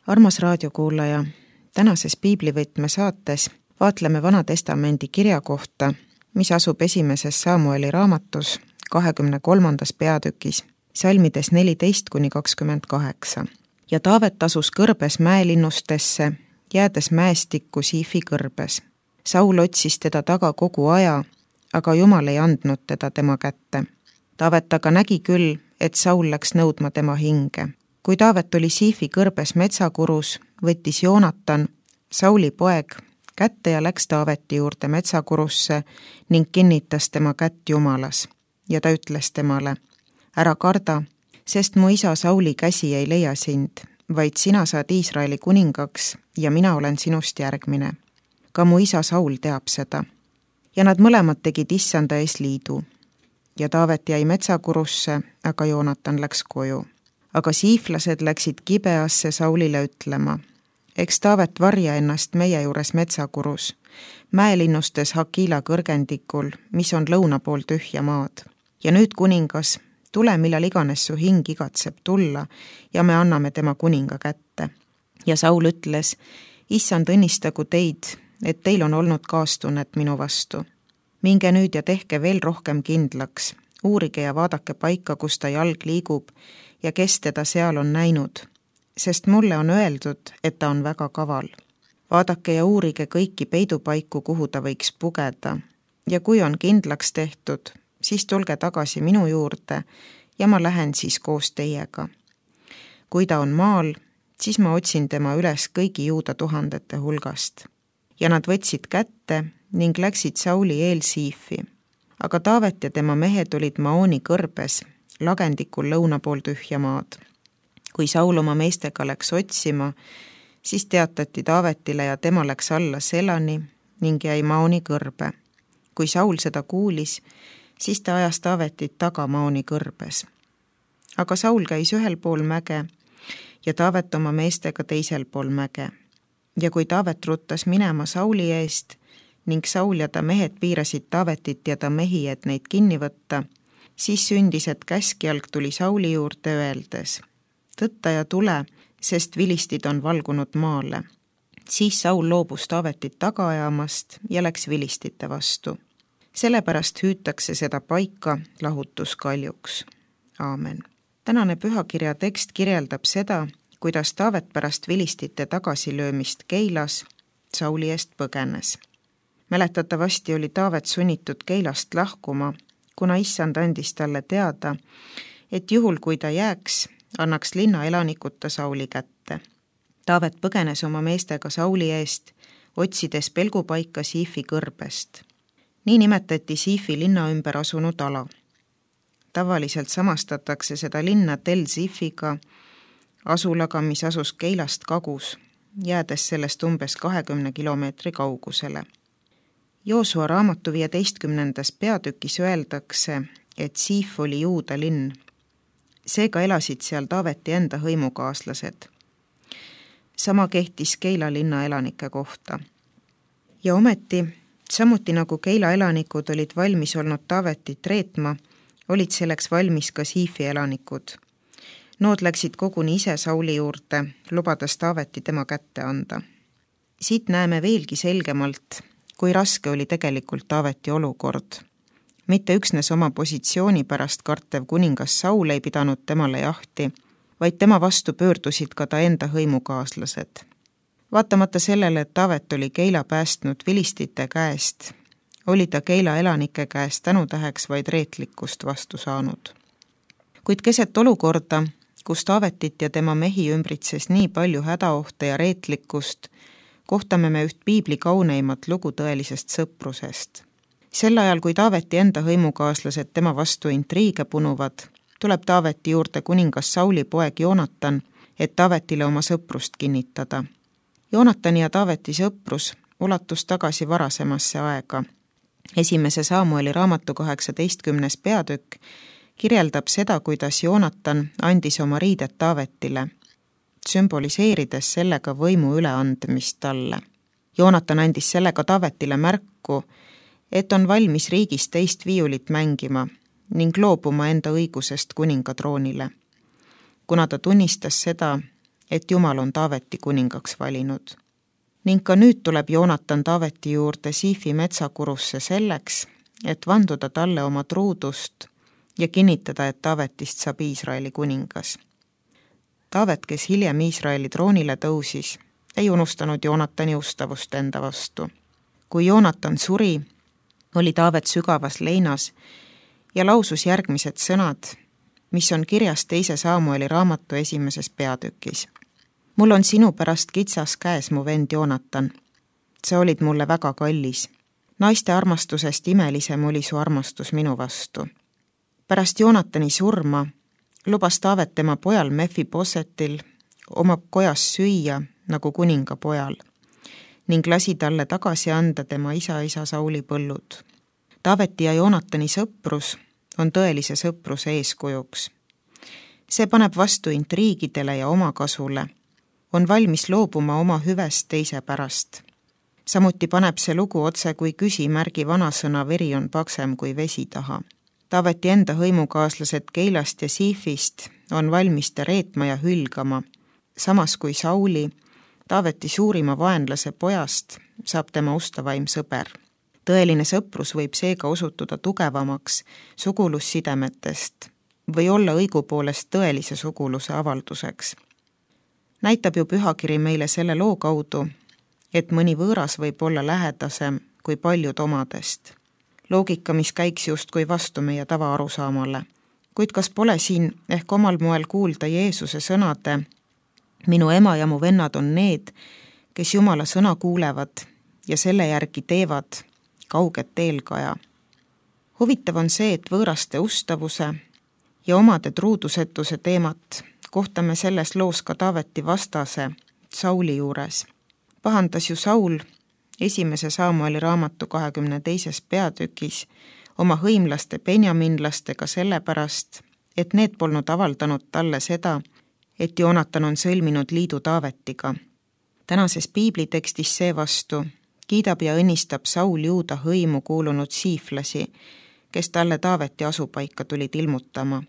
Armas raadiokuulaja, tänases piiblivõtme saates vaatleme Vana Testamendi kirja kohta, mis asub esimeses Samueli raamatus 23. peatükis, salmides 14-28. Ja Taavet asus kõrbes mäelinnustesse, jäädes mäestikku Siifi kõrbes. Saul otsis teda taga kogu aja, aga Jumal ei andnud teda tema kätte. Taavet aga nägi küll, et Saul läks nõudma tema hinge. Kui Taavet oli Siifi kõrbes metsakurus, võttis Joonatan, Sauli poeg, kätte ja läks Taaveti juurde metsakurusse ning kinnitas tema kätt Jumalas. Ja ta ütles temale, ära karda, sest mu isa Sauli käsi ei leia sind, vaid sina saad Iisraeli kuningaks ja mina olen sinust järgmine. Ka mu isa Saul teab seda. Ja nad mõlemad tegid issanda ees liidu. Ja Taavet jäi metsakurusse, aga Joonatan läks koju. Aga siiflased läksid Gibeasse Saulile ütlema, eks Taavet varja ennast meie juures metsakurus, mäelinnustes Hakila kõrgendikul, mis on lõuna pool tühja maad. Ja nüüd kuningas, tule millal iganes su hing igatseb tulla ja me anname tema kuninga kätte. Ja Saul ütles, issand õnnistagu teid, et teil on olnud kaastunnet minu vastu. Minge nüüd ja tehke veel rohkem kindlaks, uurige ja vaadake paika, kus ta jalg liigub ja kes teda seal on näinud, sest mulle on öeldud, et ta on väga kaval. Vaadake ja uurige kõiki peidupaiku, kuhu ta võiks pugeda, ja kui on kindlaks tehtud, siis tulge tagasi minu juurde ja ma lähen siis koos teiega. Kui ta on maal, siis ma otsin tema üles kõigi Juuda tuhandete hulgast. Ja nad võtsid kätte ning läksid Sauli eel Siifi. Aga Taavet ja tema mehed olid Maoni kõrbes, lagendikul lõuna pool tühja maad. Kui Saul oma meestega läks otsima, siis teatati Taavetile ja tema läks alla Selani ning jäi Maoni kõrbe. Kui Saul seda kuulis, siis ta ajas Taavetit taga Maoni kõrbes. Aga Saul käis ühel pool mäge ja Taavet oma meestega teisel pool mäge. Ja kui Taavet ruttas minema Sauli eest ning Saul ja ta mehed piirasid Taavetit ja ta mehi, et neid kinni võtta, siis sündis, et käskjalg tuli Sauli juurde öeldes, tõtta ja tule, sest vilistid on valgunud maale. Siis Saul loobus Taavetit taga ajamast ja läks vilistite vastu. Sellepärast hüütakse seda paika lahutuskaljuks. Aamen. Tänane pühakirja tekst kirjeldab seda, kuidas Taavet pärast vilistite tagasilöömist Keilas Sauli eest põgenes. Mäletatavasti oli Taavet sunnitud Keilast lahkuma, kuna issand andis talle teada, et juhul kui ta jääks, annaks linna elanikud ta Sauli kätte. Taavet põgenes oma meestega Sauli eest, otsides pelgupaika Siifi kõrbest. Nii nimetati Siifi linna ümber asunud ala. Tavaliselt samastatakse seda linna Tel Siifiga, asulaga, mis asus Keilast kagus, jäädes sellest umbes 20 kilomeetri kaugusele. Joosua raamatu 15. peatükis öeldakse, et Siif oli Juuda linn. Seega elasid seal Taaveti enda hõimukaaslased. Sama kehtis Keila linna elanike kohta. Ja ometi, samuti nagu Keila elanikud olid valmis olnud Taavetit reetma, olid selleks valmis ka Siifi elanikud. Nood läksid koguni ise Sauli juurde, lubades Taaveti tema kätte anda. Siit näeme veelgi selgemalt, kui raske oli tegelikult Taaveti olukord. Mitte üksnes oma positsiooni pärast kartev kuningas Saul ei pidanud temale jahti, vaid tema vastu pöördusid ka ta enda hõimukaaslased. Vaatamata sellele, et Taavet oli Keila päästnud vilistite käest, oli ta Keila elanike käest tänutäheks vaid reetlikkust vastu saanud. Kuid keset olukorda, kus Taavetit ja tema mehi ümbritses nii palju hädaohte ja reetlikkust, kohtame me üht piibli kauneimat lugu tõelisest sõprusest. Sel ajal, kui Taaveti enda hõimukaaslased tema vastu intriige punuvad, tuleb Taaveti juurde kuningas Sauli poeg Joonatan, et Taavetile oma sõprust kinnitada. Joonatani ja Taaveti sõprus ulatus tagasi varasemasse aega. Esimese Samueli raamatu 18. peatükk kirjeldab seda, kuidas Joonatan andis oma riided Taavetile, sümboliseerides sellega võimu üleandmist talle. Joonatan andis sellega Taavetile märku, et on valmis riigis teist viiulit mängima ning loobuma enda õigusest kuningatroonile. Kuna ta tunnistas seda, et Jumal on Taaveti kuningaks valinud. Ning ka nüüd tuleb Joonatan Taaveti juurde Siifi metsakurusse selleks, et vanduda talle oma truudust ja kinnitada, et Taavetist saab Iisraeli kuningas. Taavet, kes hiljem Iisraeli troonile tõusis, ei unustanud Joonatani ustavust enda vastu. Kui Joonatan suri, oli Taavet sügavas leinas ja lausus järgmised sõnad, mis on kirjas 2 Saamueli raamatu 1. peatükis. Mul on sinu pärast kitsas käes, mu vend Joonatan. Sa olid mulle väga kallis. Naiste armastusest imelisem oli su armastus minu vastu. Pärast Joonatani surma lubas Taavet tema pojal Mefibosetil oma kojas süüa nagu kuninga pojal ning lasi talle tagasi anda tema isa Sauli põllud. Taaveti ja Joonatani sõprus on tõelise sõpruse eeskujuks. See paneb vastu intriigidele ja omakasule, on valmis loobuma oma hüvest teise pärast. Samuti paneb see lugu otse kui küsimärgi vanasõna veri on paksem kui vesi taha. Taaveti enda hõimukaaslased Keilast ja Siifist on valmis ta reetma ja hülgama, samas kui Sauli, Taaveti suurima vaenlase pojast, saab tema ustavaim sõber. Tõeline sõprus võib seega osutuda tugevamaks sugulussidemetest või olla õigupoolest tõelise suguluse avalduseks. Näitab ju pühakiri meile selle loo kaudu, et mõni võõras võib olla lähedasem kui paljud omadest. Loogika, mis käiks justkui vastu meie tavaarusaamale. Kuid kas pole siin ehk omal moel kuulda Jeesuse sõnade: minu ema ja mu vennad on need, kes Jumala sõna kuulevad ja selle järgi teevad kauget eelkaja. Huvitav on see, et võõraste ustavuse ja omade truudusetuse teemat kohtame selles loos ka Taaveti vastase Sauli juures. Pahandas ju Saul 1. Saamueli raamatu 22. peatükis oma hõimlaste benjaminlastega sellepärast, et need polnud avaldanud talle seda, et Joonatan on sõlminud liidu Taavetiga. Tänases piiblitekstis seevastu kiidab ja õnnistab Saul Juuda hõimu kuulunud siiflasi, kes talle Taaveti asupaika tulid ilmutama.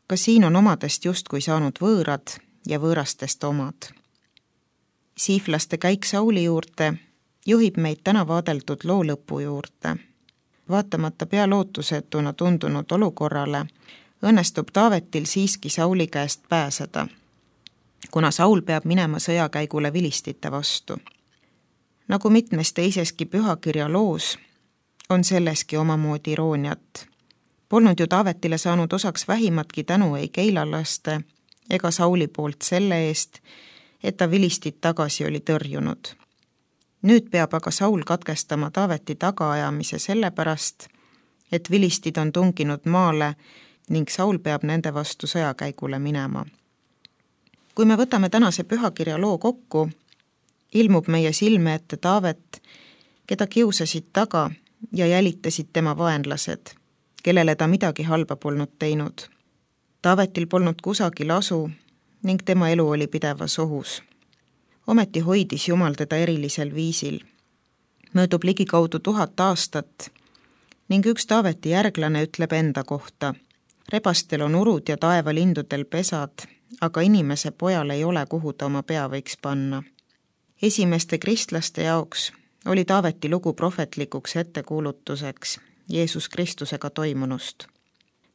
Ka siin on omadest justkui saanud võõrad ja võõrastest omad. Siiflaste käik Sauli juurde juhib meid täna vaadeldud loo lõpu juurde. Vaatamata pealootusetuna tundunud olukorrale, õnnestub Taavetil siiski Sauli käest pääseda, kuna Saul peab minema sõjakäigule vilistite vastu. Nagu mitmes teiseski pühakirja loos, on selleski omamoodi irooniat. Polnud ju Taavetile saanud osaks vähimatki tänu ei keilalaste ega Sauli poolt selle eest, et ta vilistit tagasi oli tõrjunud. Nüüd peab aga Saul katkestama Taaveti tagaajamise sellepärast, et vilistid on tunginud maale ning Saul peab nende vastu sõjakäigule minema. Kui me võtame tänase pühakirja loo kokku, ilmub meie silme ette Taavet, keda kiusasid taga ja jälitasid tema vaenlased, kellele ta midagi halba polnud teinud. Taavetil polnud kusagil asu ning tema elu oli pidevas ohus. Ometi hoidis Jumal teda erilisel viisil. Möödub ligikaudu 1000 aastat ning üks Taaveti järglane ütleb enda kohta: rebastel on urud ja taevalindudel pesad, aga inimese pojal ei ole, kuhu ta oma pea võiks panna. Esimeste kristlaste jaoks oli Taaveti lugu prohvetlikuks ettekuulutuseks Jeesus Kristusega toimunust.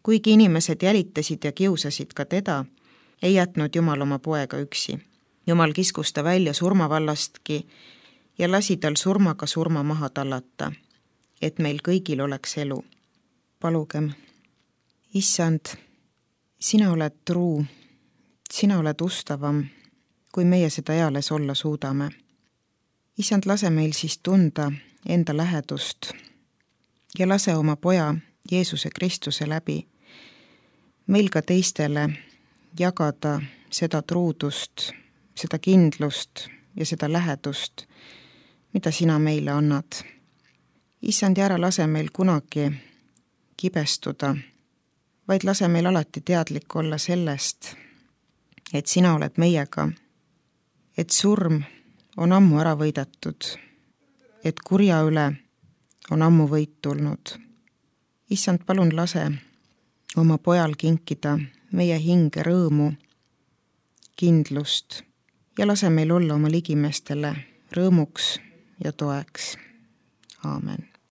Kuigi inimesed jälitasid ja kiusasid ka teda, ei jätnud Jumal oma poega üksi. Jumal kiskus ta välja surmavallastki ja lasi tal surmaga surma maha tallata, et meil kõigil oleks elu. Palugem. Issand, sina oled truu, sina oled ustavam, kui meie seda eales olla suudame. Issand, lase meil siis tunda enda lähedust ja lase oma poja Jeesuse Kristuse läbi meil ka teistele jagada seda truudust, seda kindlust ja seda lähedust, mida sina meile annad. Issand, ära lase meil kunagi kibestuda, vaid lase meil alati teadlik olla sellest, et sina oled meiega, et surm on ammu ära võidetud, et kurja üle on ammu võit tulnud. Issand, palun lase oma pojal kinkida meie hinge rõõmu kindlust ja lase meil olla oma ligimestele rõõmuks ja toeks. Aamen.